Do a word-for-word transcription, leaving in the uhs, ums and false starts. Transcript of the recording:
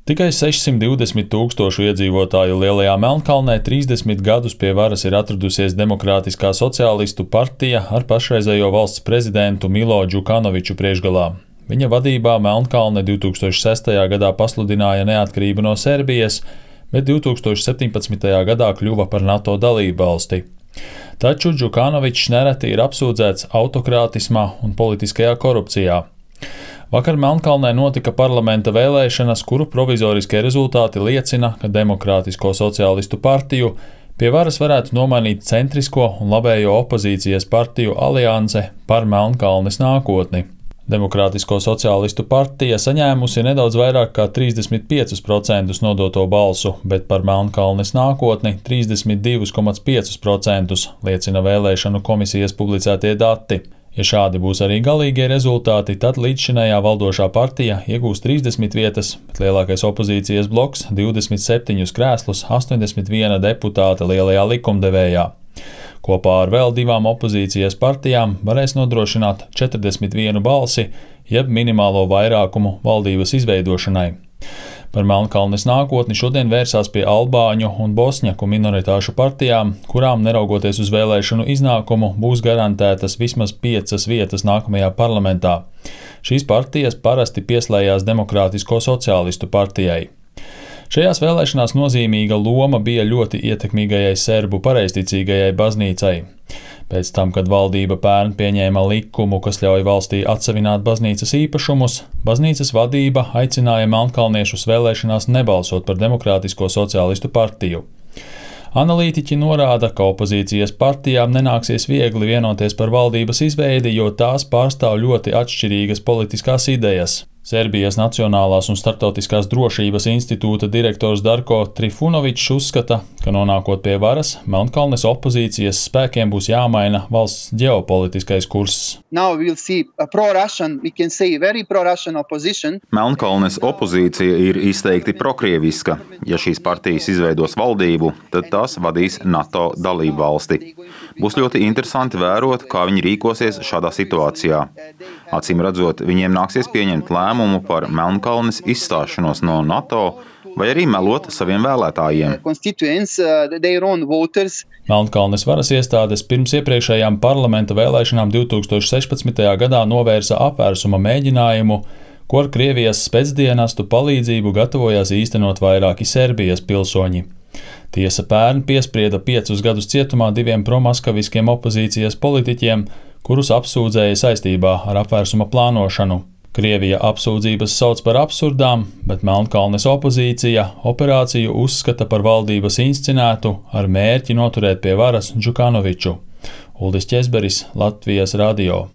Tikai sešsimt divdesmit tūkstošu iedzīvotāju Lielajā Melnkalnē trīsdesmit gadus pie varas ir atradusies Demokrātiskā sociālistu partija ar pašreizējo valsts prezidentu Milo Džukanoviču priekšgalā. Viņa vadībā Melnkalne divi tūkstoši sestajā gadā pasludināja neatkarību no Serbijas, bet divi tūkstoši septiņpadsmitajā gadā kļuva par NATO dalībvalsti. Taču Džukanovičs nereti ir apsūdzēts autokrātismā un politiskajā korupcijā. Vakar Melnkalnē notika parlamenta vēlēšanas, kuru provizoriskie rezultāti liecina, ka Demokrātisko sociālistu partiju pie varas varētu nomainīt centrisko un labējo opozīcijas partiju alianse par Melnkalnes nākotni. Demokrātisko sociālistu partija saņēmusi nedaudz vairāk kā trīsdesmit piecus procentus nodoto balsu, bet par Melnkalnes nākotni trīsdesmit divus komats piecus procentus liecina vēlēšanu komisijas publicētie dati. Ja šādi būs arī galīgie rezultāti, tad līdzšinējā valdošā partija iegūs trīsdesmit vietas, bet lielākais opozīcijas bloks divdesmit septiņus krēslus, astoņdesmit viena deputāta lielajā likumdevējā. Kopā ar vēl divām opozīcijas partijām varēs nodrošināt četrdesmit vienu balsi, jeb minimālo vairākumu valdības izveidošanai. Par Melnkalnes nākotni šodien vērsās pie albāņu un bosņaku minoritāšu partijām, kurām, neraugoties uz vēlēšanu iznākumu, būs garantētas vismaz piecas vietas nākamajā parlamentā. Šīs partijas parasti pieslējās Demokrātisko sociālistu partijai. Šajās vēlēšanās nozīmīga loma bija ļoti ietekmīgajai serbu pareizticīgajai baznīcai. Pēc tam, kad valdība pērn pieņēma likumu, kas ļauj valstī atsevināt baznīcas īpašumus, baznīcas vadība aicināja melnkalniešus vēlēšanās nebalsot par Demokrātisko sociālistu partiju. Analītiķi norāda, ka opozīcijas partijām nenāksies viegli vienoties par valdības izveidi, jo tās pārstāv ļoti atšķirīgas politiskās idejas. Serbijas Nacionālās un starptautiskās drošības institūta direktors Darko Trifunovičs uzskata, ka nonākot pie varas, Melnkalnes opozīcijas spēkiem būs jāmaina valsts ģeopolitiskais kurss. Melnkalnes opozīcija ir izteikti prokrieviska. Ja šīs partijas izveidos valdību, tad tās vadīs NATO dalību valsti. Būs ļoti interesanti vērot, kā viņi rīkosies šādā situācijā. Acīm redzot, viņiem nāksies pieņemt lēmumu par Melnkalnes izstāšanos no NATO vai arī melot saviem vēlētājiem. Melnkalnes varas iestādes pirms iepriekšējām parlamenta vēlēšanām divi tūkstoši sešpadsmitajā gadā novērsa apvērsuma mēģinājumu, ko ar Krievijas specdienestu palīdzību gatavojās īstenot vairāki Serbijas pilsoņi. Tiesa pērn piesprieda piecus gadus cietumā diviem promaskaviskiem opozīcijas politiķiem, kurus apsūdzēja saistībā ar apvērsuma plānošanu. Krievija apsūdzības sauc par absurdām, bet Melnkalnes opozīcija operāciju uzskata par valdības inscenētu ar mērķi noturēt pie varas Džukanoviču. Uldis Ķezberis, Latvijas radio.